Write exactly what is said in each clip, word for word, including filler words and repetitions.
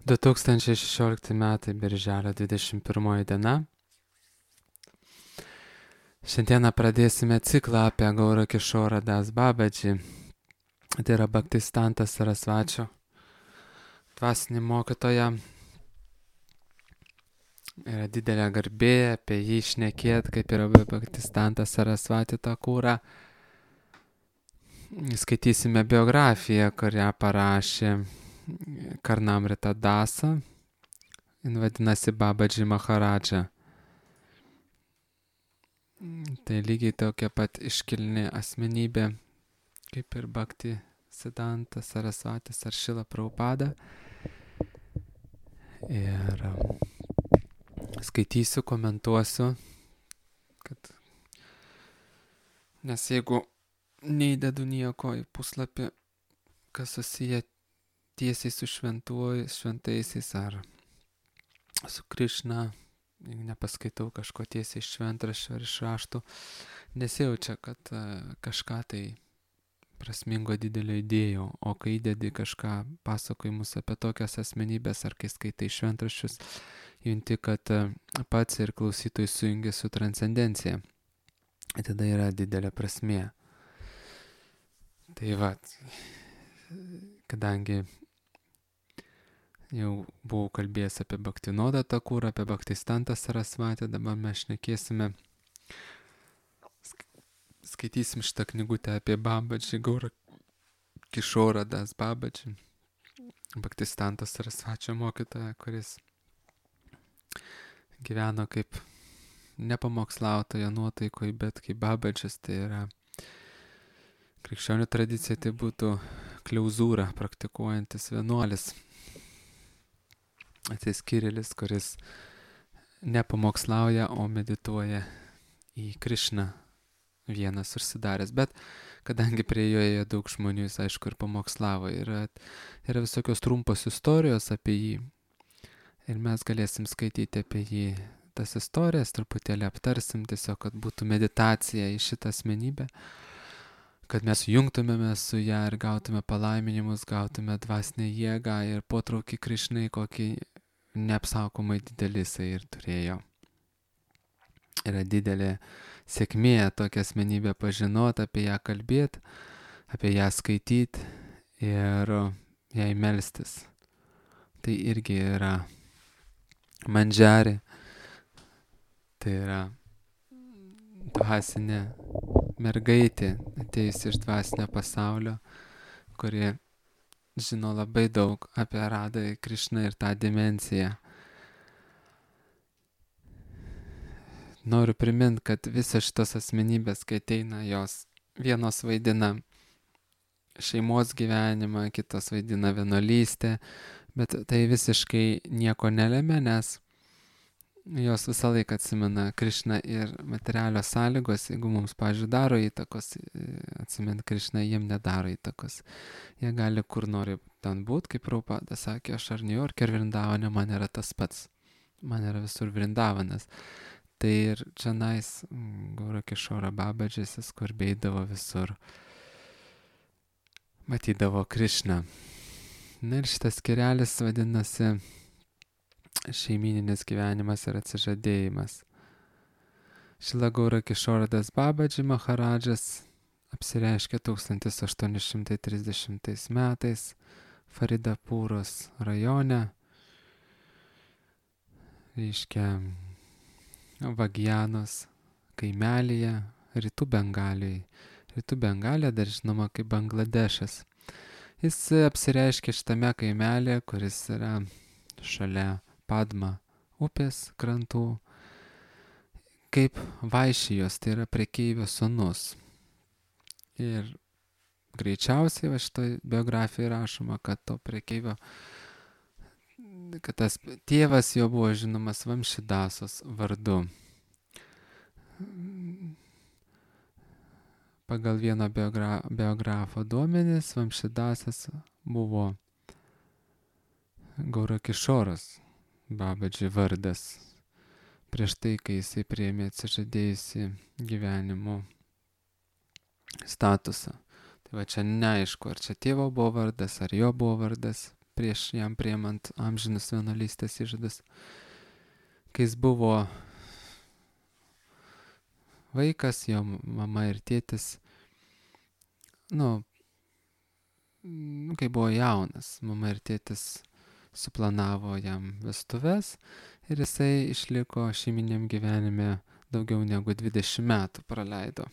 du tūkstančiai šešiolikti metai, birželio dvidešimt pirmoji diena. Šiandieną pradėsime ciklą apie Gaura Kišorą Das Babadžį. Tai yra Bhaktistantas Sarasvačio dvasinį mokytoją. Yra didelė garbė apie jį šnekėti, kaip yra Bhaktistantas Sarasvati Thakura. Skaitysime biografiją, kurią parašė Karnamrita Dasa. Jis vadinasi Babadži Maharadža. Tai lygiai tokia pat iškilni asmenybė, kaip ir Bhakti Siddhanta Sarasvatis ar Šrila Prabhupada. Ir skaitysiu, komentuosiu, kad nes jeigu neįdedu nieko į puslapį, kas susiję tiesiai su šventuoju, šventaisiais ar su Krišna, jeigu nepaskaitau kažko tiesiai iš šventraščio ar iš raštų, nesijaučia, kad uh, kažką tai prasmingo didelio idėjo, o kai įdedi kažką pasakojimus apie tokias asmenybės ar kai skaitai šventraščius, junti, kad uh, pats ir klausytojai sujungia su transcendencija. Tada yra didelė prasmė. Tai va, kadangi jau buvau kalbėjęs apie Bhaktinodą Thakurą, apie Bhaktistantą Sarasvatį, dabar mes šnekėsime, skaitysim šitą knygutę apie Babadžį, Gaura Kišorą Das Babadžį, Bhaktistantą Sarasvačio mokytoją, kuris gyveno kaip nepamokslautojo nuotaikoj, bet kaip Babadžis, tai yra krikščionių tradicija, tai būtų kliauzūrą praktikuojantis vienuolis. Atsiskyrėlis, kuris nepamokslauja, o medituoja į Krišną vienas užsidaręs. Bet kadangi prie jo ėjo daug žmonių, jis aišku ir pamokslavo. Yra, yra visokios trumpos istorijos apie jį. Ir mes galėsim skaityti apie jį tas istorijas, truputėlį aptarsim, tiesiog, kad būtų meditacija į šitą asmenybę, kad mes jungtumėme su ją ir gautume palaiminimus, gautume dvasinę jėgą ir potraukį Krišnai, kokį neapsakomai didelį jisai ir turėjo. Yra didelė sėkmė tokią asmenybę pažinoti, apie ją kalbėti, apie ją skaityti ir jai melstis. Tai irgi yra mandžari, tai yra dvasinė mergaitė, atėjusi iš dvasinio pasaulio, kuri žino labai daug apie Radhą Krišną ir tą dimensiją. Noriu priminti, kad visas šitas asmenybės, kai ateina, jos vienos vaidina šeimos gyvenimą, kitos vaidina vienuolystę, bet tai visiškai nieko nelemia, nes jos visą laiką atsimena Krišną ir materialios sąlygos, jeigu mums, pavyzdžiui, daro įtakos, atsimint Krišną, jiem nedaro įtakos. Jie gali kur nori ten būti, kaip Prabhupada sakė, aš ar Niujorke, ar Vrindavane, man yra tas pats. Man yra visur Vrindavanas. Tai ir čionais Gaura Kišora Babadžis, jis kur beidavo visur, matydavo Krišną. Na ir šitas skyrelis vadinasi šeimyninis gyvenimas ir atsižadėjimas. Šrila Gaura Kišora Das Babadži Maharadžas apsireiškė tūkstantis aštuoni šimtai trisdešimtais metais Faridapūros rajone, reiškia Vagyanos kaimelyje, rytų Bengalijai. Rytų Bengalija dar žinoma kaip Bangladešas. Jis apsireiškė šitame kaimelėje, kuris yra šalia Padma upės krantų, kaip Vaišijos, tai yra prekeivio sūnus. Ir greičiausiai va šitoj biografijai rašoma, kad to prekeivio, kad tas tėvas jo buvo žinomas Vamšidasos vardu. Pagal vieno biogra biografo duomenis Vamšidasas buvo Gaura Kišoros Babadži vardas, prieš tai, kai jisai priėmė atsižadėjusi gyvenimo statusą. Tai va čia neaišku, ar čia tėvo buvo vardas, ar jo buvo vardas, prieš jam priemant amžinus vienuolystės įžadus. Kai jis buvo vaikas, jo mama ir tėtis, nu, kai buvo jaunas, mama ir tėtis suplanavo jam vestuves ir jisai išliko šeiminiam gyvenime daugiau negu dvidešimt metų praleido.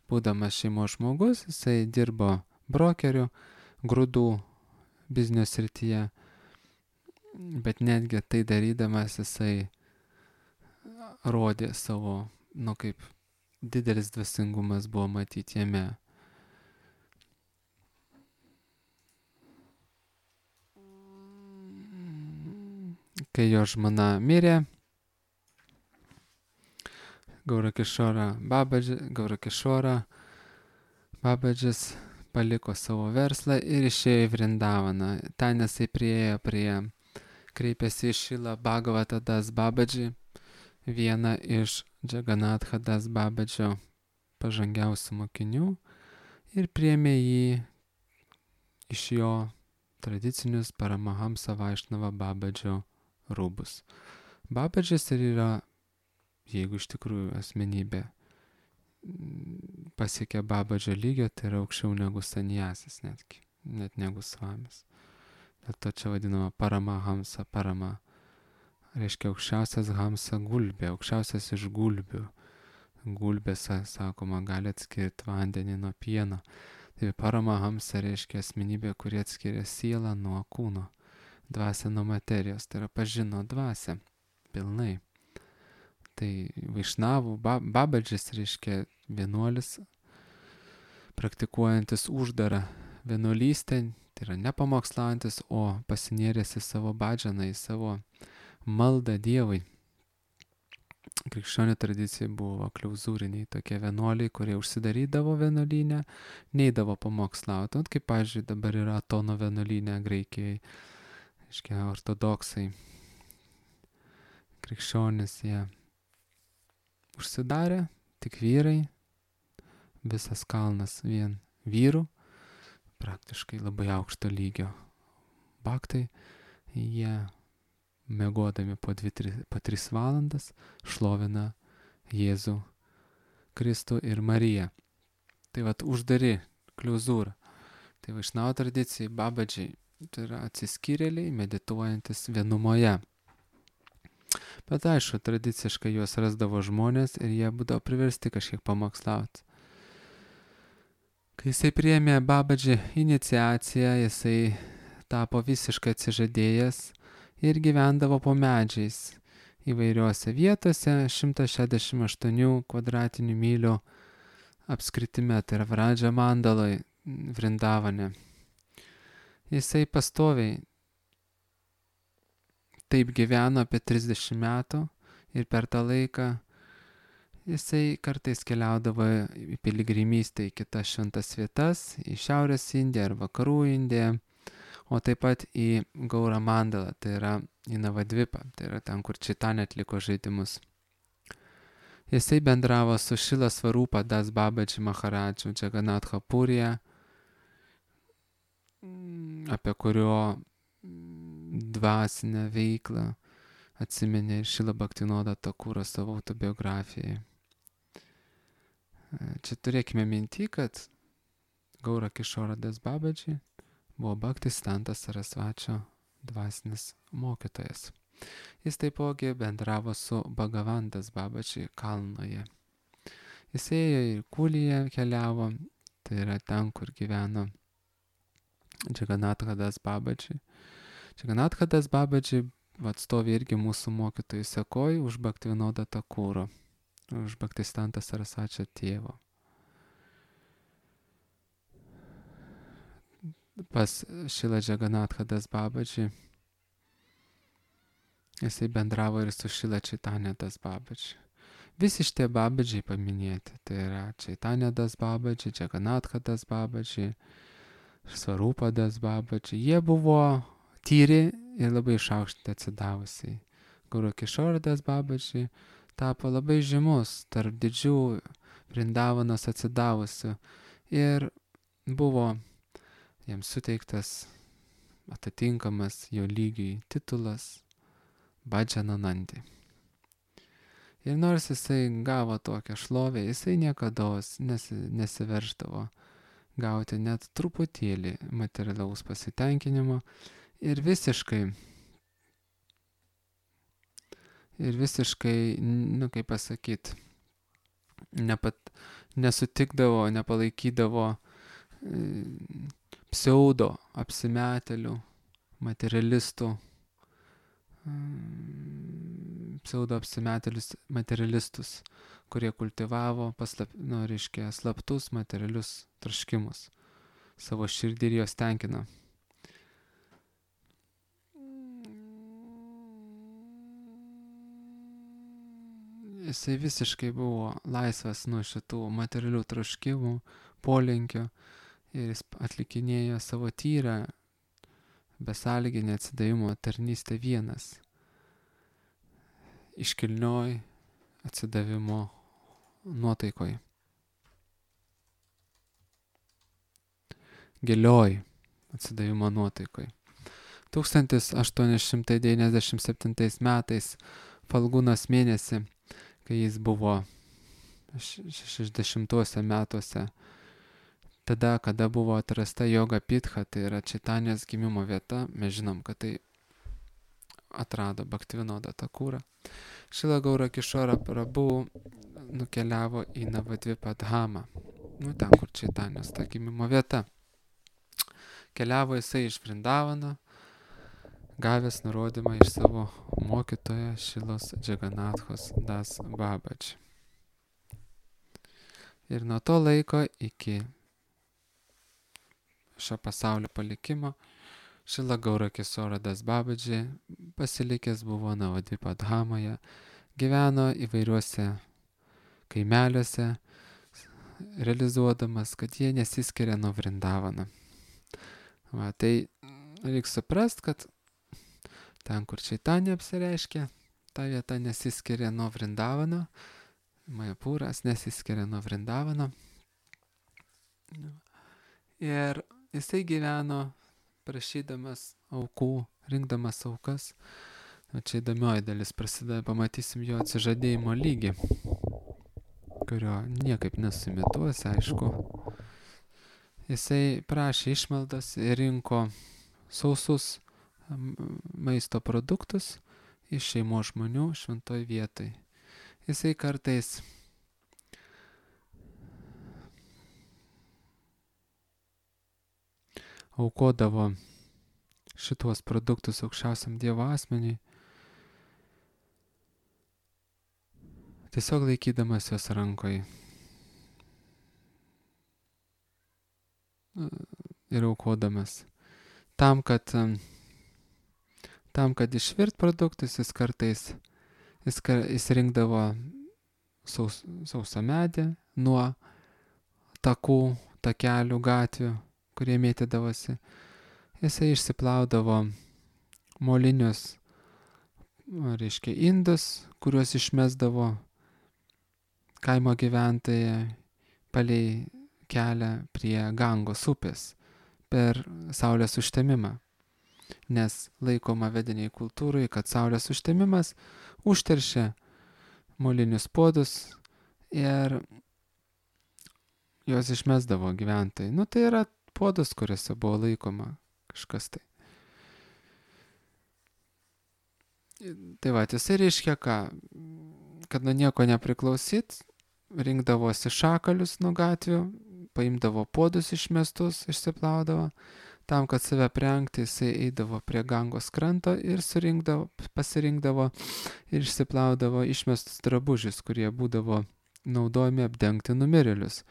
Būdamas šeimos žmogus, jisai dirbo brokeriu grūdų biznio srityje, bet netgi tai darydamas jisai rodė savo, nu kaip didelis dvasingumas buvo matyti jame. Kai jo žmona mirė, Gaurakishora Babadži, Gaurakishora Babadžis paliko savo verslą ir išėjo į Vrindavaną. Ten jisai priėjo prie, kreipėsi į Šilą Bhagavata Das Babadži, vieną iš Džaganatha Das Babadžio pažangiausių mokinių, ir priėmė jį iš jo tradicinius Paramahamsa Vaišnava Babadžio rūbus. Babadžis ir yra, jeigu iš tikrųjų asmenybė pasiekia Babadžio lygio, tai yra aukščiau negu sanjasis netgi, net negu svamis. Dėl to čia vadinama Paramahamsa, Parama reiškia aukščiausias hamsa gulbė, aukščiausias iš gulbių. Gulbės, sakoma, gali atskirti vandenį nuo pieno. Tai Paramahamsa reiškia asmenybė, kuri atskiria sielą nuo kūno, dvasią nuo materijos, tai yra pažino dvasią pilnai. Tai Vaišnavų Babadžis reiškia vienuolis, praktikuojantis uždarą vienuolystę, tai yra nepamokslaujantis, o pasinėręs į savo badžaną, į savo maldą Dievui. Krikščionių tradicija buvo kliauzūriniai tokie vienuoliai, kurie užsidarydavo vienuolyne, neidavo pamokslauti. O kaip, pavyzdžiui, dabar yra Atono vienuolyne Graikijai, reiškia ortodoksai, krikščionys, jie užsidarė, tik vyrai, visas kalnas vien vyrų, praktiškai labai aukšto lygio baktai, jie miegodami po dvi, tri, po tris valandas šlovina Jėzų Kristų ir Mariją. Tai vat uždari kliauzūra. Tai Vaišnavo tradicijai Babadžiai, tai yra atsiskyrėliai, medituojantis vienumoje. Bet aišku, tradiciškai juos rasdavo žmonės ir jie būdavo priversti kažkiek pamokslauti. Kai jisai priėmė Babadži iniciaciją, jisai tapo visiškai atsižadėjęs ir gyvendavo po medžiais įvairiuose vietose, šimtas šešiasdešimt aštuoni kvadratinių mylių apskritime, tai yra Vradža Mandaloj, Vrindavane. Jisai pastoviai taip gyveno apie trisdešimt metų ir per tą laiką jisai kartais keliaudavo į piligrimystę į kitas šventas vietas, į Šiaurės Indiją ar Vakarų Indiją, o taip pat į Gaura Mandalą, tai yra į Navadvipą, tai yra ten, kur Čaitanija atliko žaidimus. Jisai bendravo su Šila Svarupa Das Babadži Maharadžu Džaganatha Purija, apie kurio dvasinę veiklą atsiminė ir Šila Bhaktinoda Thakura savo autobiografijai. Čia turėkime minty, kad Gaurakishora Das Babadži buvo Bhaktisiddhanta Sarasvačio dvasinis mokytojas. Jis taipogi bendravo su Bhagavan Das Babadži Kalnoje. Jis ėjo ir Kulyje keliavo, tai yra ten, kur gyveno Džaganatha Das Babadži. Džaganatha Das Babadži atstovi irgi mūsų mokytojų sekoj už Bhaktivinodą Thakuro, už Bhaktisiddhanta Sarasvačio tėvo. Pas Šila Džaganatha Das Babadži jisai bendravo ir su Šila Čaitanija Das Babadži. Visi šitie Babadžiai paminėti, tai yra Čaitanija Das Babadži, Džaganatha Das Babadži, Svarupa Das Babadži. Jie buvo tyri ir labai išaukštinti atsidavusiai. Gaurakishora Das Babadži tapo labai žymus tarp didžių Vrindavanos atsidavusių ir buvo jiems suteiktas atitinkamas jo lygiui titulas Bhajananandi. Ir nors jisai gavo tokią šlovę, jisai niekados nesi, nesiverždavo gauti net truputėlį materialaus pasitenkinimo ir visiškai, ir visiškai, nu kaip pasakyti, nepat, nesutikdavo, nepalaikydavo e, pseudo apsimetėlių, materialistų, pseudo apsimetėlius materialistus, kurie kultivavo paslap, nu, reiškia, slaptus materialius troškimus savo širdį ir jos tenkina. Jisai visiškai buvo laisvas nuo šitų materialių troškimų, polinkio ir jis atlikinėjo savo tyrą besąlyginį atsidavimo tarnystę vienas. Iškilnioj atsidavimo nuotaikoj. Gilioj atsidavimo nuotaikoj. tūkstantis aštuoni šimtai devyniasdešimt septintais metais Falgunos mėnesį, kai jis buvo šešiasdešimtuose metuose, tada, kada buvo atrasta Joga Pitha, tai yra Čaitanijos gimimo vieta, mes žinom, kad tai atrado Bhaktivinoda Thakurą. Šrila Gaura Kišora Prabhu nukeliavo į Navadvipą Dhamą, nu ten, kur Čaitanijos ta gimimo vieta. Keliavo jisai iš Vrindavano, gavęs nurodymą iš savo mokytojo Šilos Džaganathos Das Babaji. Ir nuo to laiko iki šio pasaulio palikimo Šrila Gaura Kišora Das Babaji pasilikęs buvo Navadvipa Dhamoje, gyveno įvairiuose kaimeliuose, realizuodamas, kad jie nesiskiria nuo Vrindavano. Va, tai reikia suprast, kad ten, kur Čaitanija apsireiškia, ta vieta nesiskiria nuo Vrindavano, Majapūras nesiskiria nuo Vrindavano. Ir jisai gyveno prašydamas aukų, rinkdamas aukas. O čia įdomioji dalis prasideda, pamatysim jo atsižadėjimo lygį, kurio niekaip nesimituosi, aišku. Jisai prašė išmaldas ir rinko sausus maisto produktus iš šeimos žmonių šventoj vietoj. Jisai kartais aukodavo šituos produktus aukščiausiam Dievo asmeniui, tiesiog laikydamas juos rankoj ir aukodamas. Tam, kad, tam, kad išvirt produktus, jis kartais jis, jis rinkdavo saus, sausą medį nuo takų, takelių, gatvių, kurie mėtydavosi. Jisai išsiplaudavo molinius, reiškia, indus, kuriuos išmesdavo kaimo gyventojai palei kelią prie Gangos upės per saulės užtemimą. Nes laikoma vediniai kultūrai, kad saulės užtemimas užteršia molinius puodus ir juos išmesdavo gyventojai. Nu, tai yra puodus, kuriuose buvo laikoma kažkas tai. Tai va, jisai reiškia ką, kad nuo nieko nepriklausyt, rinkdavosi šakalius nuo gatvių, paimdavo puodus išmestus, išsiplaudavo, tam, kad save prengti, jisai eidavo prie Gangos kranto ir surinkdavo, pasirinkdavo ir išsiplaudavo išmestus drabužius, kurie būdavo naudojami apdengti numirėlius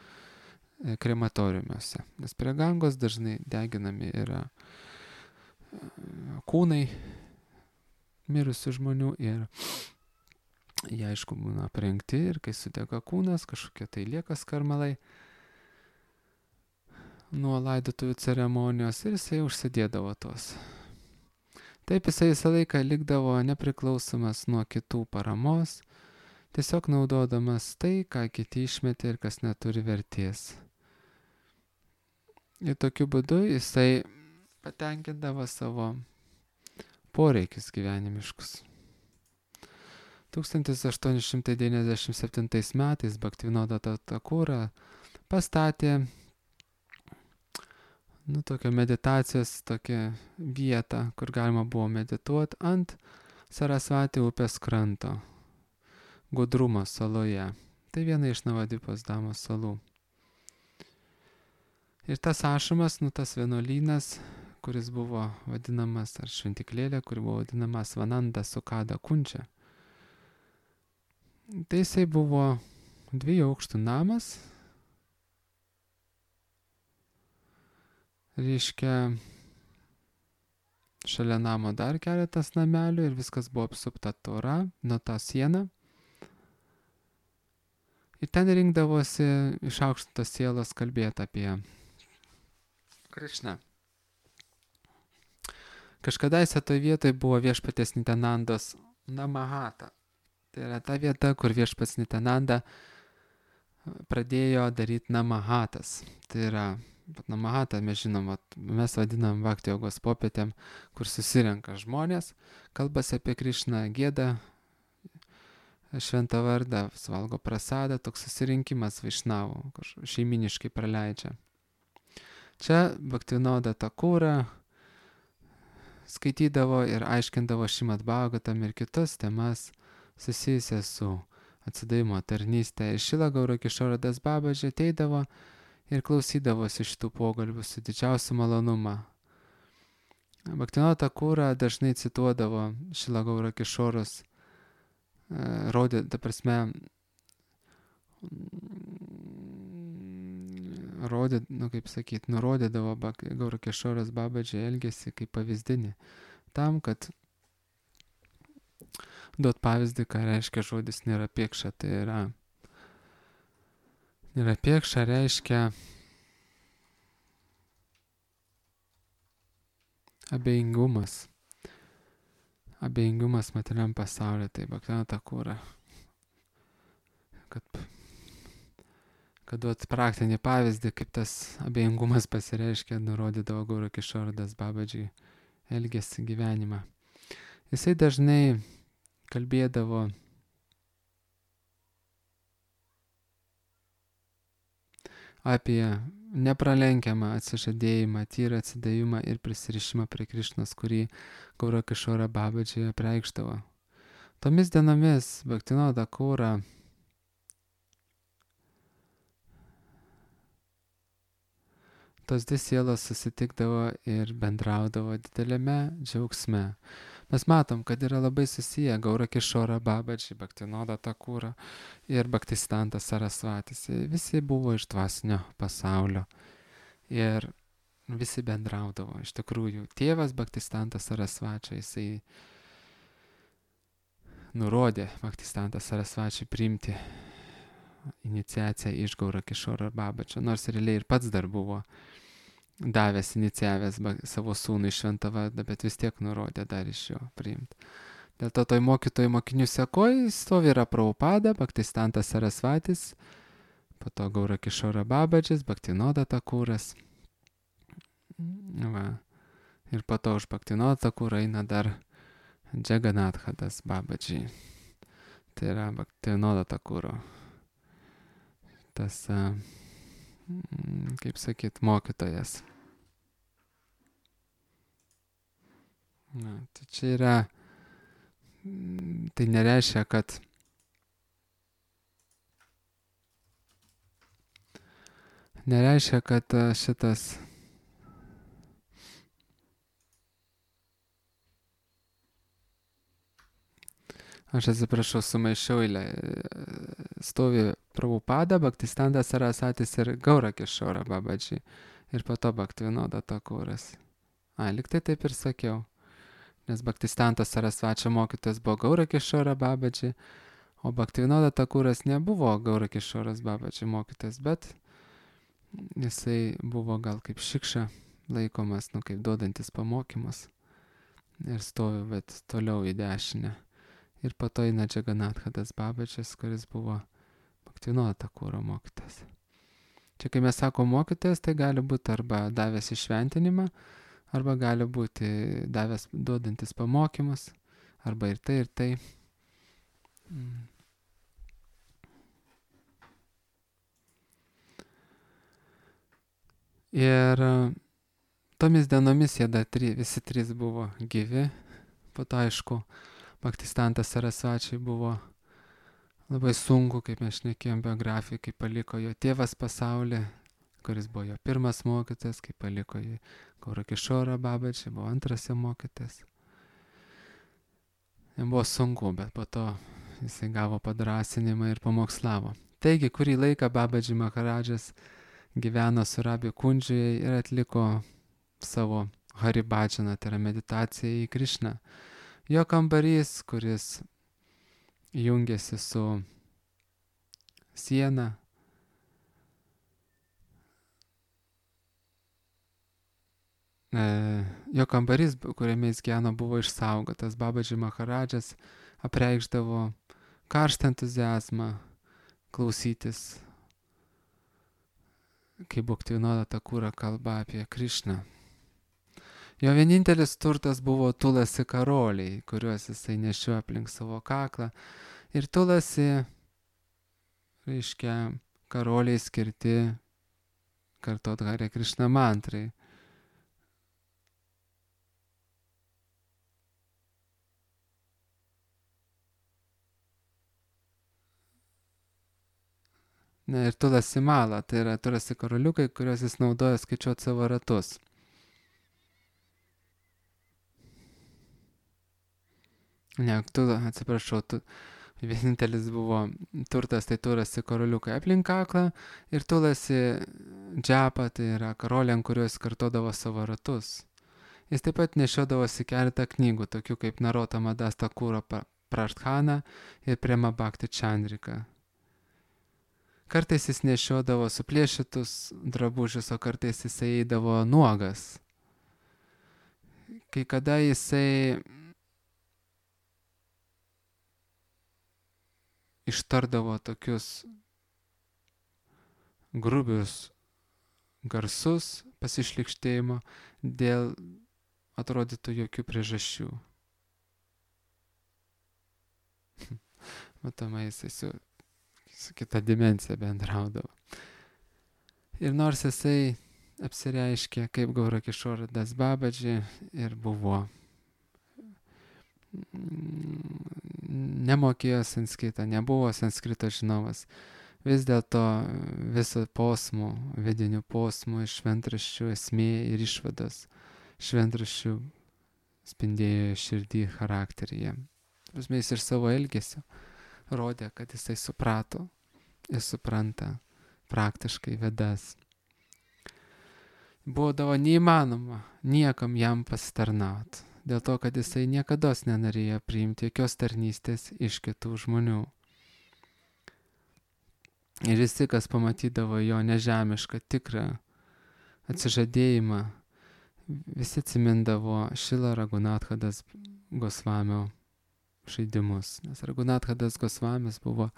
krematoriumuose. Nes prie Gangos dažnai deginami yra kūnai mirusių žmonių ir jie, aišku, būna aprengti ir kai sudega kūnas, kažkokie tai lieka skarmalai nuo laidotuvių ceremonijos ir jisai užsidėdavo tos. Taip jisai visą laiką likdavo nepriklausomas nuo kitų paramos, tiesiog naudodamas tai, ką kiti išmetė ir kas neturi vertės. Ir tokiu būdu jisai patenkindavo savo poreikius gyvenimiškus. tūkstantis aštuoni šimtai devyniasdešimt septintais metais Bhaktivinoda Thakur pastatė nu, tokią meditacijos tokią vietą, kur galima buvo medituoti ant Sarasvati upės kranto, Gudrumo saloje. Tai viena iš Navadvipos Damos salų. Ir tas ašramas, nu tas vienuolynas, kuris buvo vadinamas, ar šventiklėlė, kuri buvo vadinama Svananda Sukada Kunčia. Tai jisai buvo dviejų aukštų namas, reiškia, šalia namo dar keletas namelių ir viskas buvo apsupta tvora, nuo tą sieną. Ir ten rinkdavosi išaukštintos sielos kalbėti apie Krišną. Kažkadaise toje vietoje buvo viešpaties Nitanandos Namahata. Tai yra ta vieta, kur viešpats Nitananda pradėjo daryti namahatas. Tai yra, namahata mes žinom, mes vadinam Bhakti jogos popietėm, kur susirenka žmonės, kalbasi apie Krišną, gieda šventą vardą, valgo prasadą, toks susirinkimas vaišnavų, šeiminiškai praleidžia. Čia Bhaktivinoda Thakur skaitydavo ir aiškindavo Šrimad Bhagavatam ir kitas temas susijusias su atsidavimo tarnystė. Ir Šrila Gaura Kišora Das Babaji ateidavo ir klausydavosi šitų pokalbių su didžiausiu malonumu. Bhaktivinoda Thakur dažnai cituodavo Šrila Gaura Kišoros, rodė, ta prasme, rodė, nu kaip sakyt, nurodydavo Gaura Kišoras Babaji elgesį kaip pavyzdinį, tam, kad duot pavyzdį, ką reiškia žodis nėra piekša. Tai yra, nėra piekša reiškia abejingumas. Abejingumas materialiam pasaulyje, tai Bhaktivinoda Thakur, kad, kad duot praktinį pavyzdį, kaip tas abejingumas pasireiškia, nurodydavo Gaura Kišora Das Babaji elgesį gyvenimą. Jisai dažnai kalbėdavo apie nepralenkiamą atsižadėjimą, tyrą atsidavimą ir prisirišimą prie Krišnos, kurį Gaura Kišora Babaji apreikšdavo. Tomis dienomis Bhaktivinoda Thakur tos dvi sielos susitikdavo ir bendraudavo dideliame džiaugsme. Mes matom, kad yra labai susiję Gaura Kišora Babaji, Bhaktivinoda Thakur ir Bhaktisiddhanta Sarasvatis. Visi buvo iš dvasinio pasaulio ir visi bendraudavo. Iš tikrųjų, tėvas Bhaktisiddhanta Sarasvati, jisai nurodė Bhaktisiddhanta Sarasvati priimti iniciaciją iš Gaura Kišora Babaji, nors realiai ir pats dar buvo davęs, inicijavęs savo sūnų iš šventą vardą, bet vis tiek nurodė dar iš jo priimti. Dėl to toj mokytojų mokinių sekoj stovi yra Prabhupada, Bhaktisiddhanta Sarasvatis, po to Gaura Kišora Babadžis, Bhaktivinoda Thakuras. Va. Ir po to už Bhaktivinoda Thakur eina dar Džaganatha Das Babaji. Tai yra Bhaktivinoda Thakuro. Tas, kaip sakyt, mokytojas. Na, tai čia yra, tai nereiškia, kad nereiškia, kad šitas aš atsiprašau, sumaišiau eilę. Stovi Prabhupada, Bhaktisiddhanta Sarasvatis ir Gaura Kišora Babaji. Ir po to Bhaktivinoda Thakuras. A, liktai taip ir sakiau. Nes Bhaktisiddhanta Sarasvačio mokytojas buvo Gaura Kišora Babaji, o Bhaktivinoda Thakuras nebuvo Gaura Kišoras Babaji mokytojas, bet jisai buvo gal kaip šikša laikomas, nu kaip duodantis pamokymus. Ir stovi, bet toliau į dešinę. Ir po to eina Džaganatha Das Babadžis, kuris buvo Bhaktivinoda Thakuro mokytas. Čia kai mes sako mokytas, tai gali būti arba davęs išventinimą, arba gali būti davęs duodantis pamokymus, arba ir tai, ir tai. Mm. Ir tomis dienomis jie dar tri, visi trys buvo gyvi. Po to, aišku, Bhaktistantas Sarasvačiai buvo labai sunku, kaip mes šnekėjom biografiją, kai paliko jo tėvas pasaulį, kuris buvo jo pirmas mokytas, kai paliko jį Gaurakišora Babaji, buvo antras jo mokytas. Jam buvo sunku, bet po to jisai gavo padrasinimą ir pamokslavo. Taigi, kurį laiką Babaji Maharadžas gyveno Surabhi Kundžiuje ir atliko savo Haribhajaną, tai yra meditaciją į Krišną. Jo kambarys, kuris jungiasi su siena, e, jo kambarys, kuriame jis gyveno, buvo išsaugotas. Babaji Maharadžas apreikšdavo karštą entuziazmą klausytis, kaip Bhaktivinoda Thakura kalba apie Krišną. Jo vienintelis turtas buvo tulasi karoliai, kuriuos jisai nešiojo aplink savo kaklą. Ir tulasi, reiškia, karoliai skirti kartot Hare Krishna mantrai. Na ir tulasi mala, tai yra tulasi karoliukai, kuriuos jis naudoja skaičiuoti savo ratus. Ne, tu, atsiprašau, tu, vienintelis buvo turtas, tai tulasi karoliukai aplink kaklą ir tulasi džapa, tai yra karoliai, ant kurios kartodavo savo ratus. Jis taip pat nešiodavosi keletą knygų, tokių kaip Narotama Das Thakura Prasthana ir Prema Bhakti Chandrika. Kartais jis nešiodavo suplėšytus drabužius, o kartais jisai eidavo nuogas. Kai kada jisai ištardavo tokius grubius garsus pasišlykštėjimo dėl atrodytų jokių priežasčių. Matomai jisai su, su kita dimensija bendraudavo. Ir nors jisai apsireiškė kaip Gaurakišora Das Babaji ir buvo nemokėjo sanskritą, nebuvo sanskrito žinovas. Vis dėlto viso posmų, vidinių posmų iš šventraščių esmė ir išvados šventraščių spindėjo širdį charakteryje. Prasme, jis ir savo elgesiu rodė, kad jisai suprato ir supranta praktiškai Vedas. Būdavo neįmanoma niekam jam pasitarnauti. Dėl to, kad jisai niekados nenorėjo priimti jokios tarnystės iš kitų žmonių. Ir visi, kas pamatydavo jo nežemišką, tikrą atsižadėjimą, visi atsimindavo Šrila Raghunathadas Gosvamio žaidimus. Nes Raghunathadas Gosvamis buvo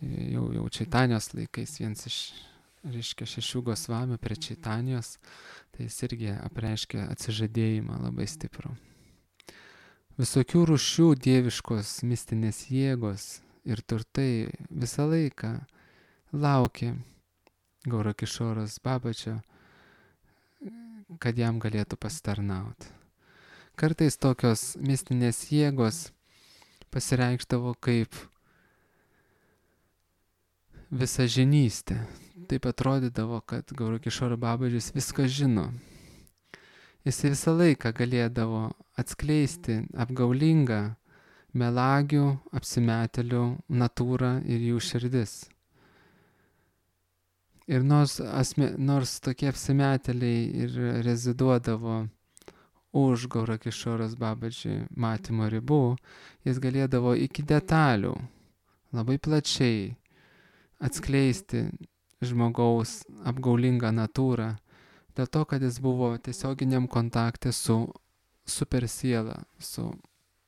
jau, jau Čaitanijos laikais vienas iš, reiškia, šešių Gosvamių prie Čaitanijos. Tai jis irgi apreiškia atsižadėjimą labai stiprų. Visokių rūšių dieviškos mistinės jėgos ir turtai visą laiką laukė Gaurakišoros Babačio, kad jam galėtų pasitarnauti. Kartais tokios mistinės jėgos pasireikšdavo kaip visažinystė. Taip atrodydavo, kad Gaurakišora Babažis viską žino. Jis visą laiką galėdavo atskleisti apgaulingą melagių, apsimetėlių natūrą ir jų širdis. Ir nors, asme, nors tokie apsimetėliai ir reziduodavo už Gaurakišoros Babaji matymo ribų, jis galėdavo iki detalių, labai plačiai atskleisti žmogaus apgaulingą natūrą, dėl to, kad jis buvo tiesioginiam kontakte su super siela, su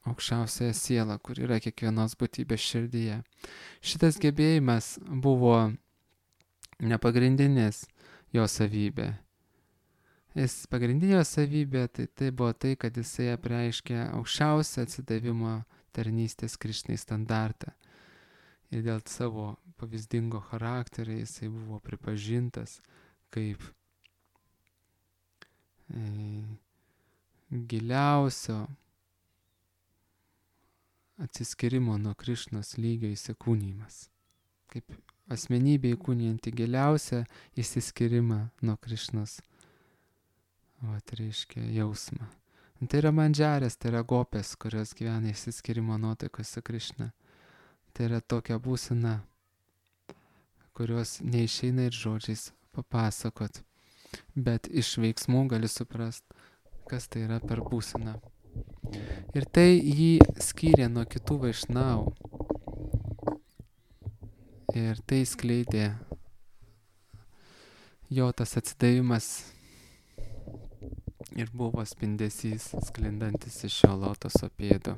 aukščiausiaja siela, kur yra kiekvienos būtybės širdyje. Šitas gebėjimas buvo nepagrindinis jo savybė. Jis pagrindinė savybė, tai tai buvo tai, kad jisai apreiškė aukščiausią atsidavimo tarnystės Krišnai standartą. Ir dėl savo pavyzdingo charakterio jisai buvo pripažintas kaip e, giliausio atsiskyrimo nuo Krišnos lygio įsikūnymas. Kaip asmenybė įkūnijanti giliausią įsiskyrimą nuo Krišnos. O tai reiškia jausmą. Tai yra mandžarės, tai yra gopės, kurios gyvena išsiskyrimo nuotaikos su Krišna. Tai yra tokia būsena, kurios neišeina ir žodžiais papasakot. Bet iš veiksmų gali suprast, kas tai yra per būseną. Ir tai jį skyrė nuo kitų vaišnavų. Ir tai skleidė jo tas atsidavimas ir buvo spindesys sklindantis iš šio lotoso pėdų.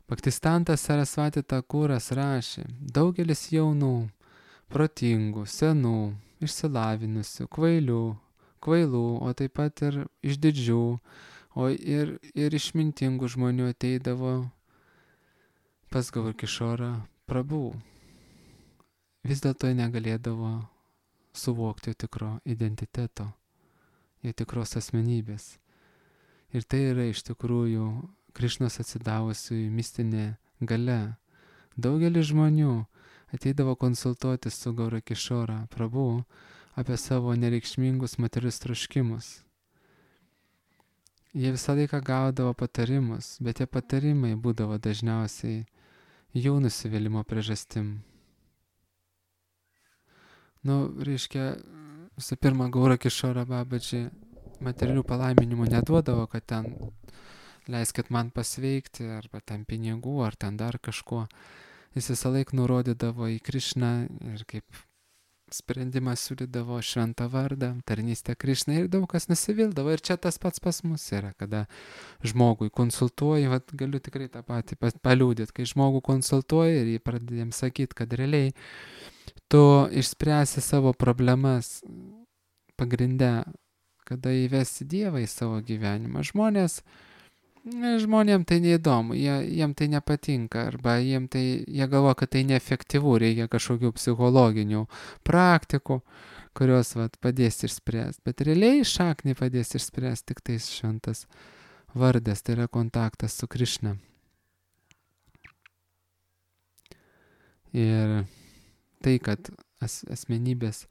Bhaktistantas Sarasvati Thakuras rašė, daugelis jaunų, protingų, senų, išsilavinusių, kvailių, kvailų, o taip pat ir išdidžių, o ir, ir išmintingų žmonių ateidavo pas Gaurkišorą Prabhu. Vis dėlto jie negalėdavo suvokti tikro identiteto, jie tikros asmenybės. Ir tai yra iš tikrųjų Krišnos atsidavusių mistinė galia. Daugelis žmonių ateidavo konsultuoti su Gaurkišora Prabhu apie savo nereikšmingus materialius troškimus. Jie visą laiką gaudavo patarimus, bet tie patarimai būdavo dažniausiai jų nusivylimo priežastim. Nu, reiškia, visų pirma, Gaurkišora Babaji materialių palaiminimų neduodavo, kad ten leiskit man pasveikti, arba ten pinigų, ar ten dar kažko. Jis visą laiką nurodydavo į Krišną ir kaip sprendimą siūlydavo šventą vardą, tarnystę Krišnai ir daug kas nusivildavo. Ir čia tas pats pas mus yra, kada žmogui konsultuoji, vat, galiu tikrai tą patį paliūdyti, kai žmogų konsultuoji ir jį pradedėm sakyti, kad realiai tu išspręsi savo problemas pagrindę, kada įvesi Dievą į savo gyvenimą. Žmonės, žmonėm tai neįdomu, jie, jiem tai nepatinka, arba jiem tai, jie galvoja, kad tai neefektyvu, reikia kažkokių psichologinių praktikų, kurios vat, padės išspręsti. Bet realiai šaknį padės išspręsti tik tais šventas vardas, tai yra kontaktas su Krišna. Ir tai, kad as, asmenybės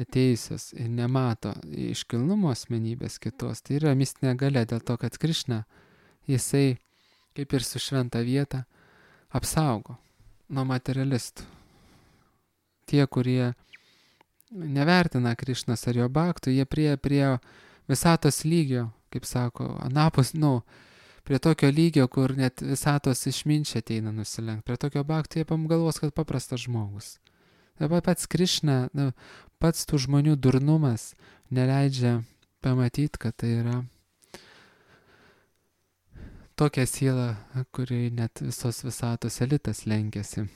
atėjusios ir nemato iškilnumo asmenybės kitos, tai yra mistinė galia dėl to, kad Krišna, jisai, kaip ir su šventa vieta, apsaugo nuo materialistų. Tie, kurie nevertina Krišnos ar jo bhaktų, jie prie, prie visatos lygio, kaip sako, anapus, nu, prie tokio lygio, kur net visatos išminčiai ateina nusilenkt. Prie tokio bhaktų jie galvos, kad paprastas žmogus. Dabar pats Krišna, nu, pats tų žmonių durnumas neleidžia pamatyti, kad tai yra tokia siela, kuri net visos visatos elitas lenkiasi.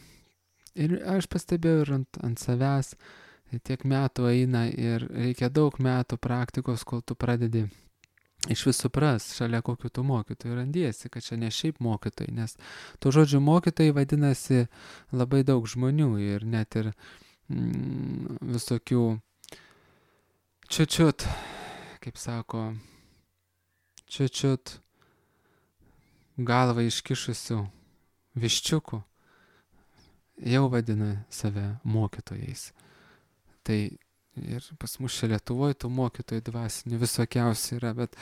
Ir aš pastebėjau ir ant, ant savęs, tiek metų eina ir reikia daug metų praktikos, kol tu pradedi iš vis supras, šalia kokių tų mokytojų randiesi, kad čia ne šiaip mokytojai, nes tų žodžių mokytojai vadinasi labai daug žmonių ir net ir mm, visokių čiučiut, kaip sako, čiučiut galvą iškišusių viščiukų jau vadina save mokytojais. Tai ir pas mus čia Lietuvoje tų mokytojų dvasinių visokiausių yra, bet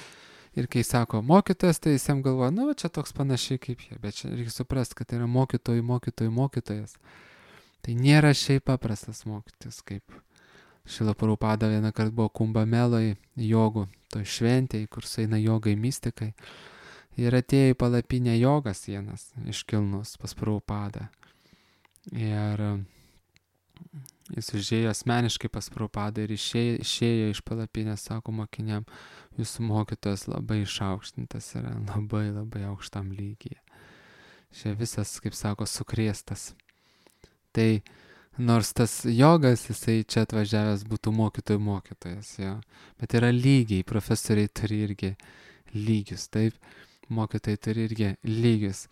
ir kai sako mokytojas, tai jis jam galvoja, nu, čia toks panašiai kaip jie, bet čia reikia suprasti, kad tai yra mokytojų, mokytojų, mokytojas. Tai nėra šiaip paprastas mokytis, kaip Šrila Prabhupada vieną kartą buvo Kumbameloj jogų, toj šventėj, kur sueina jogai mystikai. Ir atėjo į palapinę jogas vienas iškilnus pas Prabhupadą. Ir jis užėjo asmeniškai pas Prabhupadą ir išėjo, išėjo iš palapinės, sako mokiniam, jūsų mokytojas labai išaukštintas yra, labai labai aukštam lygyje. Čia visas, kaip sako, sukrėstas. Tai Nors tas jogas, jisai čia atvažiavęs būtų mokytojų mokytojas, jo. Bet yra lygiai, profesoriai turi irgi lygius, taip, mokytojai turi irgi lygius.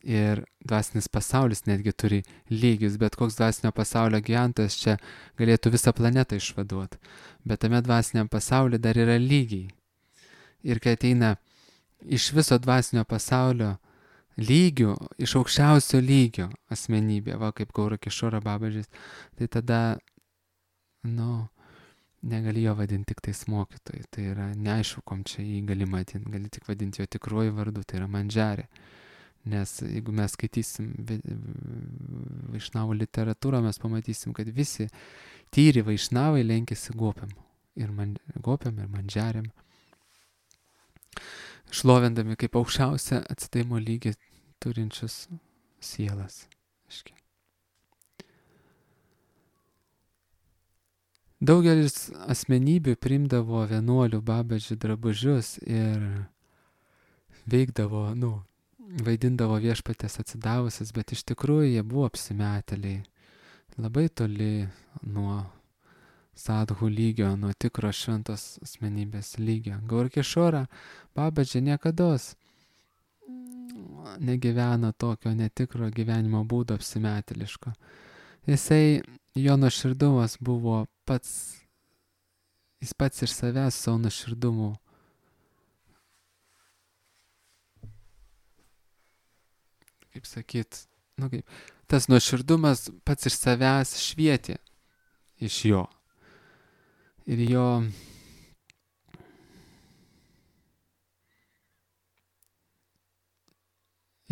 Ir dvasinis pasaulis netgi turi lygius, bet koks dvasinio pasaulio gyventojas čia galėtų visą planetą išvaduoti. Bet tame dvasiniam pasaulyje dar yra lygiai. Ir kai ateina iš viso dvasinio pasaulio lygių, iš aukščiausio lygio asmenybė, va kaip Gaura Kišora Babažis, tai tada, nu, negali jo vadinti tik tais mokytojai. Tai yra neaišku, kom čia jį gali matyti, gali tik vadinti jo tikruoju vardu, tai yra Mandžarė. Nes jeigu mes skaitysim vaišnavų literatūrą, mes pamatysim, kad visi tyri vaišnavai lenkėsi gopiam. Ir man, gopiam, ir Mandžarėm. Šlovindami kaip aukščiausią atsidaimo lygį turinčius sielas. Aiškiai. Daugelis asmenybių primdavo vienuolių Babažį drabužius ir veikdavo, nu, vaidindavo viešpatės atsidavusias, bet iš tikrųjų jie buvo apsimetėliai. Labai toli nuo sadhų lygio, nuo tikro šventos asmenybės lygio. Gaura Kišora Babažį niekados negyvena tokio netikro gyvenimo būdo apsimetėliško. Jisai, jo nuoširdumas buvo pats, jis pats iš savęs savo nuoširdumu kaip sakyt, nu kaip, tas nuoširdumas pats iš savęs švietė iš jo. Ir jo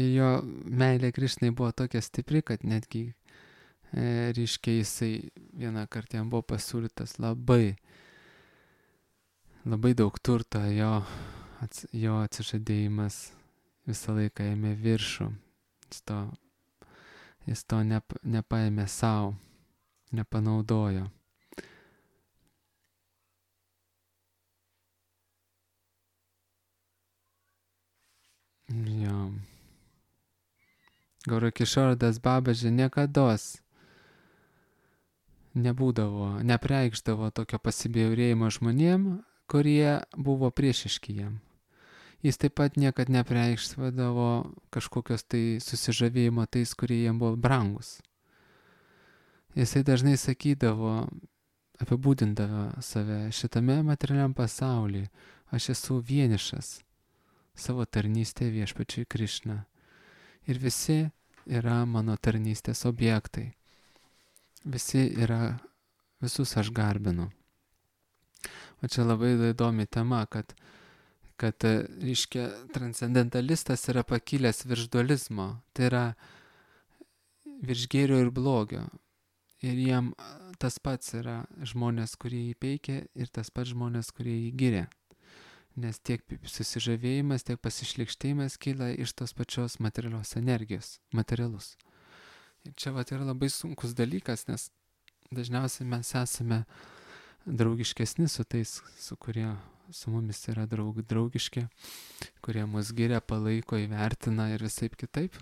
ir jo meilė Krišnai buvo tokia stipri, kad netgi e, ryškiai jisai vieną kartą jam buvo pasiūlytas labai labai daug turto, jo, ats, jo atsižadėjimas visą laiką ėmė viršų. Jis to, jis to nep, nepaėmė savo, nepanaudojo. Jo. Gaura Kišoras Babažį niekados nebūdavo, nepreikšdavo tokio pasibjaurėjimo žmonėm, kurie buvo priešiški jam. Jis taip pat niekad nepreikšdavo kažkokios tai susižavėjimo tais, kurie jam buvo brangus. Jisai dažnai sakydavo, apibūdindavo save šitame materialiam pasaulyje. Aš esu vienišas savo tarnystėje viešpačiui Krišna. Ir visi yra mano tarnystės objektai. Visi yra, visus aš garbinu. O čia labai įdomi tema, kad, kad reiškia, transcendentalistas yra pakilęs virš dualizmo. Tai yra virš gėrio ir blogio. Ir jiem tas pats yra žmonės, kurie jį peikia, ir tas pats žmonės, kurie jį giria. Nes tiek susižavėjimas, tiek pasišlikštėjimas kyla iš tos pačios materialios energijos, materialus. Ir čia vat yra labai sunkus dalykas, nes dažniausiai mes esame draugiškesni su tais, su kurie su mumis yra draug, draugiški, kurie mus giria, palaiko, įvertina ir visaip kitaip.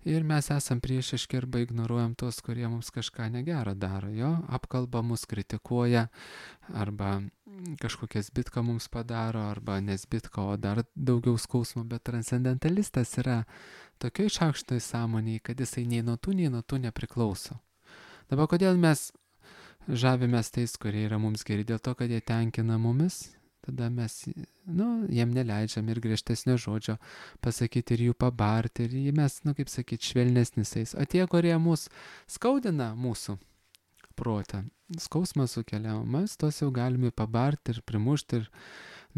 Ir mes esam priešiški arba ignoruojam tos, kurie mums kažką negero daro, jo, apkalba mus, kritikuoja, arba kažkokias bitką mums padaro, arba nesbitką, o dar daugiau skausmo, bet transcendentalistas yra tokioj šaukštoj sąmonėj, kad jisai nei nuo tų, nei nuo tų nepriklauso. Dabar kodėl mes žavimės tais, kurie yra mums geri, dėl to, kad jie tenkina mumis? Tada mes, nu, jiem neleidžiam ir griežtesnio žodžio pasakyti ir jų pabarti, ir mes, nu, kaip sakyti, švelnesnisais. O tie, kurie mus skaudina mūsų protą, skausmą sukelia, mes tos jau galime pabarti ir primušti ir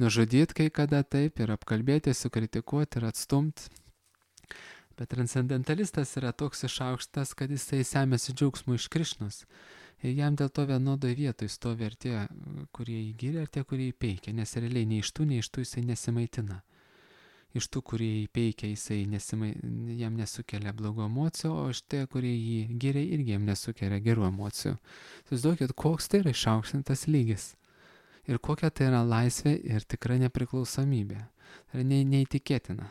nužudyti kai kada taip, ir apkalbėti, sukritikuoti ir atstumti. Bet transcendentalistas yra toks išaukštas, kad jisai semėsi džiaugsmų iš Krišnos. Ir jam dėl to vienodoj vietoj stovi ir tie, kurie jį giria, ir tie, kurie jį peikia, nes realiai nei iš tų, nei iš tų jisai nesimaitina. Iš tų, kurie jį peikia, jisai nesimai, jam nesukelia blogų emocijų, o iš tie, kurie jį giria, irgi jam nesukelia gerų emocijų. Įsivaizduokit, koks tai yra išaukštintas lygis. Ir kokia tai yra laisvė ir tikra nepriklausomybė. Tai yra ne, neįtikėtina.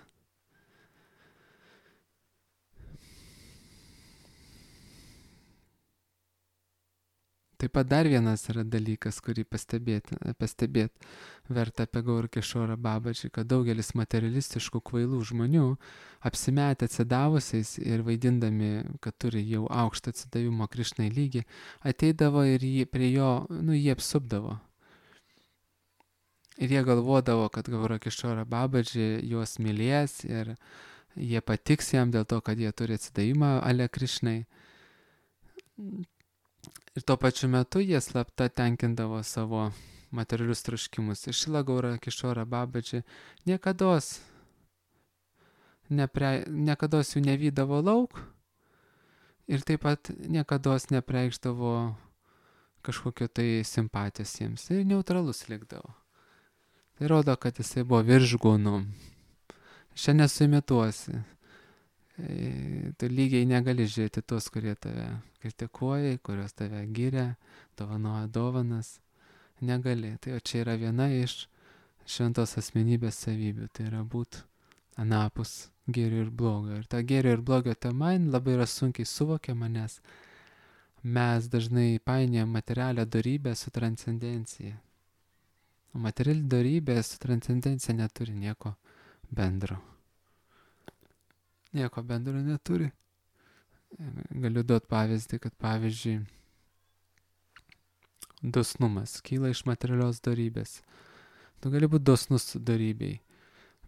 Taip pat dar vienas yra dalykas, kurį pastebėti, pastebėti verta apie Gaur Kishorą Babaji, kad daugelis materialistiškų kvailų žmonių, apsimetę atsidavusiais ir vaidindami, kad turi jau aukštą atsidavimo Krišnai lygį, ateidavo ir jį, prie jo, nu, jį apsupdavo. Ir jie galvodavo, kad Gaur Kishorą Babaji juos mylės ir jie patiks jam dėl to, kad jie turi atsidavimą ale Krišnai. Ir tuo pačiu metu jie slapta tenkindavo savo materialius troškimus. Ir Šrila Gaura Kishora Babaji niekados, nepre, niekados jų nevydavo lauk ir taip pat niekados nepreikšdavo kažkokio tai simpatijos jiems. Ir neutralus likdavo. Tai rodo, kad jisai buvo viršgūnų. Šiandien nesuimituosi. Tu lygiai negali žiūrėti tos, kurie tave kritikuoja, kurios tave giria, dovanoja dovanas. Negali. Tai o čia yra viena iš šventos asmenybės savybių. Tai yra būt anapus gėrio ir blogio. Ir ta gėrio ir blogio tema labai yra sunkiai suvokiama, nes mes dažnai painiojam materialią dorybę su transcendencija. O materiali dorybė su transcendencija neturi nieko bendro. Nieko bendro neturi. Galiu duoti pavyzdį, kad pavyzdžiui, dosnumas kyla iš materialios dorybės. Tu gali būti dosnus dorybei,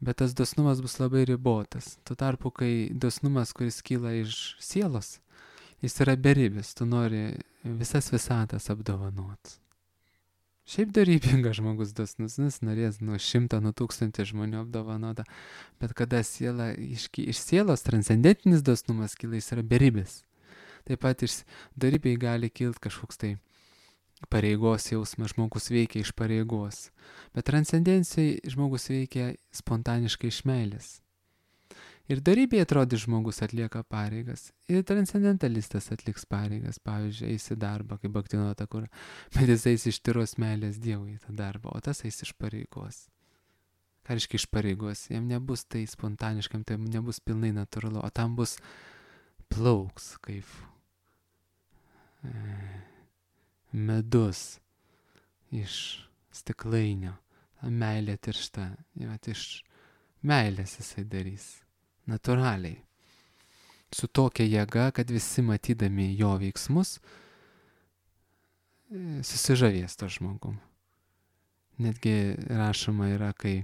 bet tas dosnumas bus labai ribotas. Tuo tarpu, kai dosnumas, kuris kyla iš sielos, jis yra beribis, tu nori visas visatas apdovanot. Šiaip dorybingas žmogus dosnus, jis norės nuo šimto, nuo tūkstantį žmonių apdovanota, bet kada siela, iš, iš sielos transcendentinis dosnumas kyla, jis yra beribis. Taip pat iš dorybei gali kilti kažkoks tai pareigos jausmas, žmogus veikia iš pareigos, bet transcendencijai žmogus veikia spontaniškai iš meilės. Ir dorybėje atrodys žmogus atlieka pareigas, ir transcendentalistas atliks pareigas, pavyzdžiui, eis į darbą, kaip Bhaktivinoda Thakura, bet jis eis iš tyros meilės Dievui į tą darbą, o tas eis iš pareigos. Ką reiškia iš pareigos? Jam nebus tai spontaniškam, tai nebus pilnai natūralu, o tam bus plauks, kaip e, medus iš stiklainio, ta meilė tiršta, jau iš meilės jisai darys. Natūraliai. Su tokia jėga, kad visi matydami jo veiksmus susižavės to žmogum. Netgi rašoma yra, kai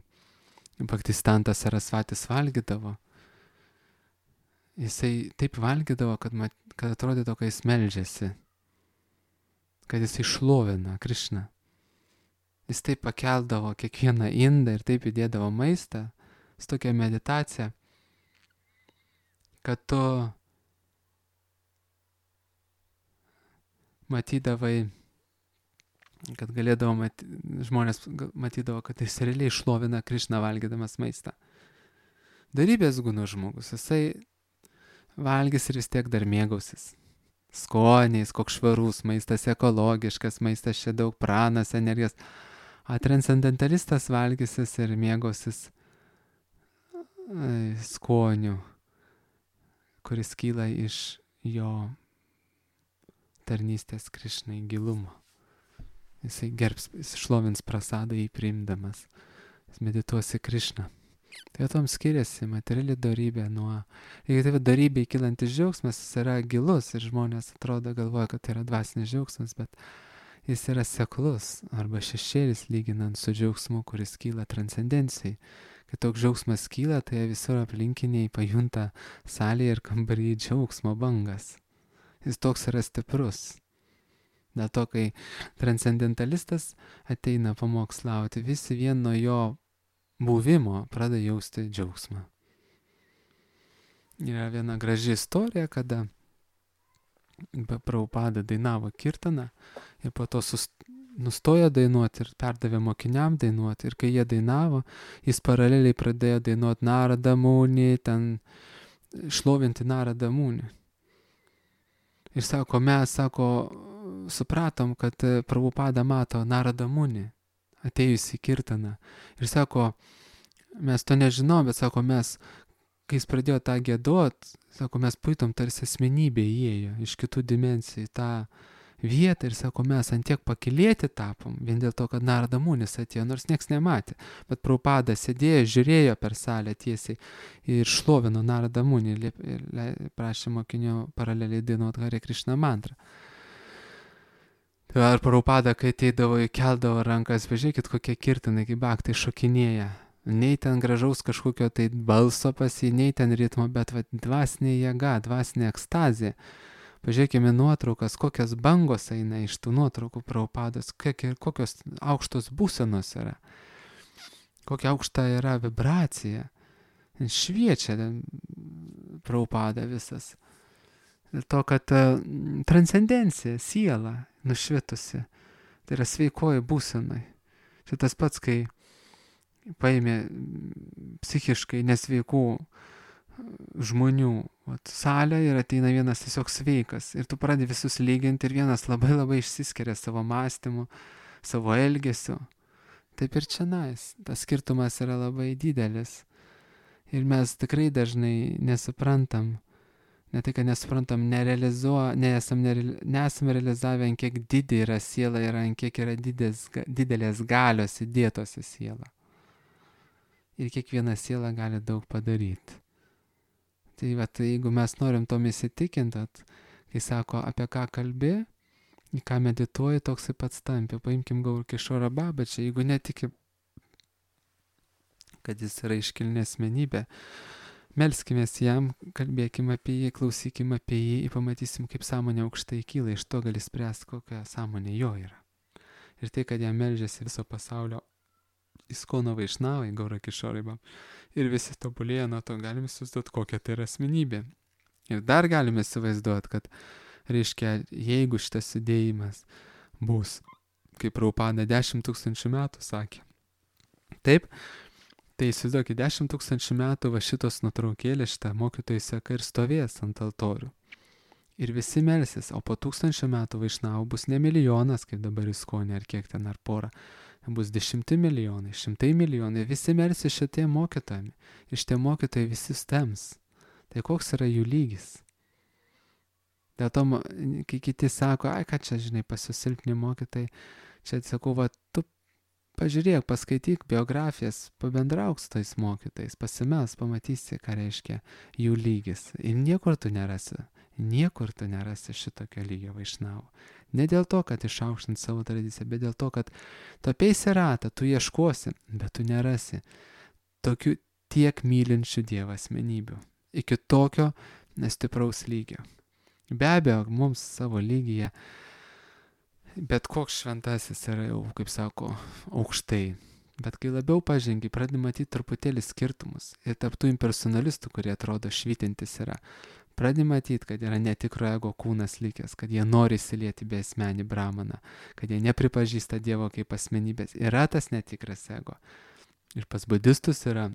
Bhaktistantas Sarasvatis valgydavo, jisai taip valgydavo, kad, mat, kad atrodytų, kad jis meldžiasi, kad jisai šlovina Krišną. Jis taip pakeldavo kiekvieną indą ir taip įdėdavo maistą, su tokia meditacija, kad tu matydavai, kad galėdavo, mat, žmonės matydavo, kad jis realiai šlovina Krišną valgydamas maistą. Darybės gūno žmogus, jisai valgys ir vis tiek dar mėgausis. Skoniais, koks švarus maistas, ekologiškas maistas, čia daug pranas, energijos. O transcendentalistas valgysis ir mėgausis skonių, kuris kyla iš jo tarnystės Krišnai gilumo. Jisai gerbs, jis šlovins prasadą jį priimdamas. Jis medituosi Krišną. Tai tom skiriasi materiali dorybė nuo... Jeigu tai dorybė kylantis džiaugsmas, jis yra gilus ir žmonės atrodo galvoja, kad tai yra dvasinis džiaugsmas, bet jis yra seklus arba šešėlis lyginant su džiaugsmu, kuris kyla transcendencijai. Kai toks džiaugsmas kyla, tai visur aplinkiniai pajunta salėje ir kambaryje džiaugsmo bangas. Jis toks yra stiprus. Dėl to, kai transcendentalistas ateina pamokslauti, visi vien nuo jo buvimo pradeda jausti džiaugsmą. Yra viena graži istorija, kada Prabhupada dainavo kirtaną ir po to sust... nustojo dainuoti ir perdavė mokiniam dainuoti. Ir kai jie dainavo, jis paraleliai pradėjo dainuoti Narada Muni, ten šlovinti Narada Muni. Ir sako, mes, sako, supratom, kad Prabhupada mato Narada Muni, atėjusi kirtaną. Ir sako, mes to nežinom, bet sako, mes, kai jis pradėjo tą giedot, sako, mes puitom tarsi asmenybė įėjo iš kitų dimensijų, tą vietą ir sako, mes ant tiek pakilėti tapom, vien dėl to, kad Narada Munis atėjo, nors nieks nematė. Bet Prabhupada sėdėjo, žiūrėjo per salę tiesiai ir šlovino Narada Munį ir prašė mokinių paraleliai dainuoti Hare Krishna mantrą. Ar Prabhupada, kai ateidavo, keldavo rankas, pažiūrėkit, kokie kirtinai, kaip baktai šokinėja. Nei ten gražaus kažkokio tai balso pas jį, nei ten ritmo, bet va, dvasinė jėga, dvasinė ekstazija. Pažiūrėkime nuotraukas, kokios bangos eina iš tų nuotraukų Prabhupados, kokios aukštos būsenos yra, kokia aukšta yra vibracija. Šviečia Prabhupada visas. Dėl to, kad uh, transcendencija, siela nušvitusi, tai yra sveikoji būsenai. Čia tas pats, kai paėmė psichiškai nesveikų žmonių vat, salę ir ateina vienas tiesiog sveikas. Ir tu pradedi visus lyginti ir vienas labai labai išsiskiria savo mąstymu, savo elgesiu. Taip ir čia nais. Tas skirtumas yra labai didelis. Ir mes tikrai dažnai nesuprantam, ne tai, kad nesuprantam, nerealizuo, nesam, nereali, nesam realizavę, ant kiek didė yra siela ir ant kiek yra didės, didelės galios įdėtos į sielą. Ir kiekviena siela gali daug padaryti. Tai va, tai jeigu mes norim tom įsitikinti, kai sako, apie ką kalbi, į ką medituoji, toksai pats tampi. Paimkim Gaur Kishora Babačią, jeigu netiki, kad jis yra iškilni asmenybė, melskimės jam, kalbėkim apie jį, klausykim apie jį ir pamatysim, kaip sąmonė aukštai kyla, iš to gali spręsti, kokia sąmonė jo yra. Ir tai, kad jam meldžiasi viso pasaulio Iskono Vaišnavai, Gaura Kishorai ir visi tobulėja nuo to, galime įsivaizduoti, kokia tai yra asmenybė. Ir dar galime įsivaizduoti, kad, reiškia, jeigu šitas judėjimas bus, kaip Prabhupada dešimt tūkstančių metų sakė, taip, tai įsivaizduokit, dešimt tūkstančių metų va šitos nuotraukėlės, šitą mokytojų seka ir stovės ant altorių. Ir visi melsis, o po tūkstančio metų Vaišnavų bus ne milijonas, kaip dabar Iskonė, ar kiek ten, ar porą, bus dešimti milijonai, šimtai milijonai, visi melsis šitie mokytojami. Ir šitie mokytojai visi stems. Tai koks yra jų lygis? Dėl to, kai kiti sako, ai, ką čia, žinai, pasisilpni mokytojai, čia sakau, va, tu pažiūrėk, paskaityk biografijas, pabendrauk su tais mokytojais, pasimes, pamatysi, ką reiškia jų lygis. Ir niekur tu nerasi, niekur tu nerasi šitokio lygio Vaišnavų. Ne dėl to, kad išaukštint savo tradiciją, bet dėl to, kad tu apeisi ratą, tu ieškosi, bet tu nerasi tokių tiek mylinčių Dievą asmenybių. Iki tokio stipraus lygio. Be abejo, mums savo lygyje, bet koks šventasis yra jau, kaip sako, aukštai. Bet kai labiau pažengi, pradedi matyti truputėlį skirtumus. Ir tarp tų impersonalistų, kurie atrodo švytintis yra, pradedi matyti, kad yra netikro ego kūnas likęs, kad jie nori įsilieti be asmenį brahmaną, kad jie nepripažįsta Dievo kaip asmenybės. Yra tas netikras ego. Ir pas budistus yra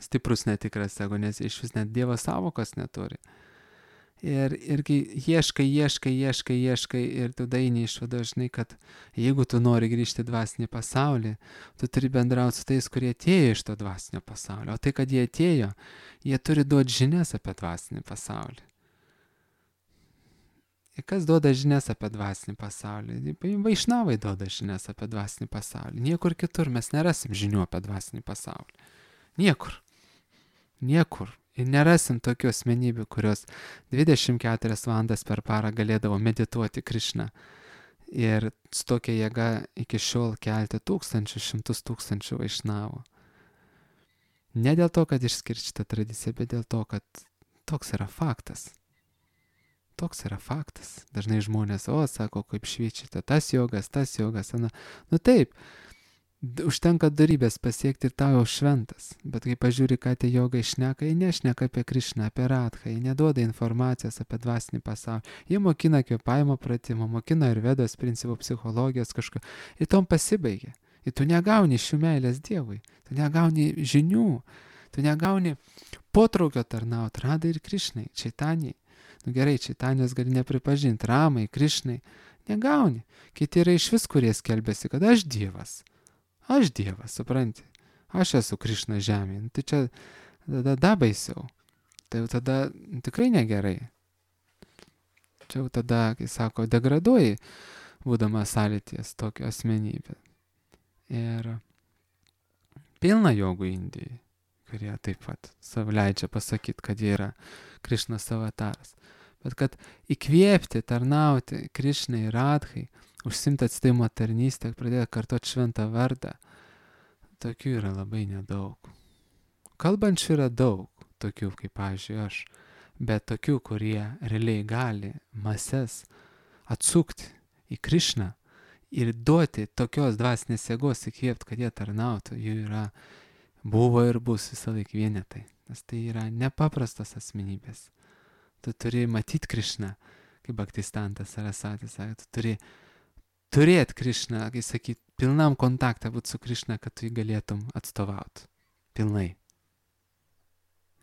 stiprus netikras ego, nes iš vis net Dievo savokos neturi. Ir, ir kai ieškai, ieškai, ieškai, ieškai ir tu daini išvada, žinai, kad jeigu tu nori grįžti į dvasinį pasaulį, tu turi bendrauti su tais, kurie atėjo iš to dvasinio pasaulio. O tai, kad jie atėjo, jie turi duoti žinias apie dvasinį pasaulį. Ir kas duoda žinias apie dvasinį pasaulį? Vaišnavai duoda žinias apie dvasinį pasaulį. Niekur kitur mes nerasim žinių apie dvasinį pasaulį. Niekur. Niekur. Ir nerasim tokių asmenybių, kurios dvidešimt keturias valandas per parą galėdavo medituoti Krišną. Ir su tokia jėga iki šiol kelti tūkstančių, šimtus tūkstančių Vaišnavų. Ne dėl to, kad išskirti šitą tradiciją, bet dėl to, kad toks yra faktas. Toks yra faktas. Dažnai žmonės, o, sako, kaip švyčiate, tas jogas, tas jogas, ana. Nu taip, užtenka darybės pasiekti ir tau jau šventas. Bet kai pažiūri, ką tie jogai šneka, jie nešneka apie Krišną, apie Radhą, jie neduoda informacijos apie dvasinį pasaulį. Jie mokina kvėpavimo pratimą, mokina Ayurvedos principų, psichologijos kažką. Ir tom pasibaigia. Ir tu negauni šių meilės Dievui. Tu negauni žinių. Tu negauni potraukio tarnauti Radhai ir Krišnai, Čaitanijai. Nu gerai, Čaitanijos gali nepripažinti, Ramai, Krišnai. Negauni. Kiti yra iš vis, kurie skelbėsi, kad aš Dievas. Aš Dievas, supranti. Aš esu Krišna žemėje. Tai čia tada da baisiau. Tai jau tada tikrai negerai. Čia jau tada, kai sako, degraduoji, būdama sąlyties tokio asmenybė. Ir pilna jogų Indijai, kurie taip pat savo leidžia pasakyti, kad jie yra Krišnos avataras. Bet kad įkvėpti, tarnauti Krišnai, Radhai, užsimti atsidavimo tarnystę, pradėti kartoti šventą vardą, tokių yra labai nedaug. Kalbančių yra daug, tokių kaip, pavyzdžiui, aš, bet tokių, kurie realiai gali mases atsukti į Krišną ir duoti tokios dvasinės jėgos įkvėpti, kad jie tarnautų, jų yra, buvo ir bus visą laiką vienetai. Nes tai yra nepaprastas asmenybės. Tu turi matyti Krišną, kaip Bhaktistantas Sarasvatis sakė, tu turi turėti Krišną, kai sakyt, pilnam kontaktą būti su Krišna, kad tu jį galėtum atstovauti. Pilnai.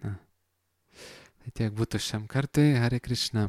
Na. Tai tiek būtų šiam kartui. Hare Krishna.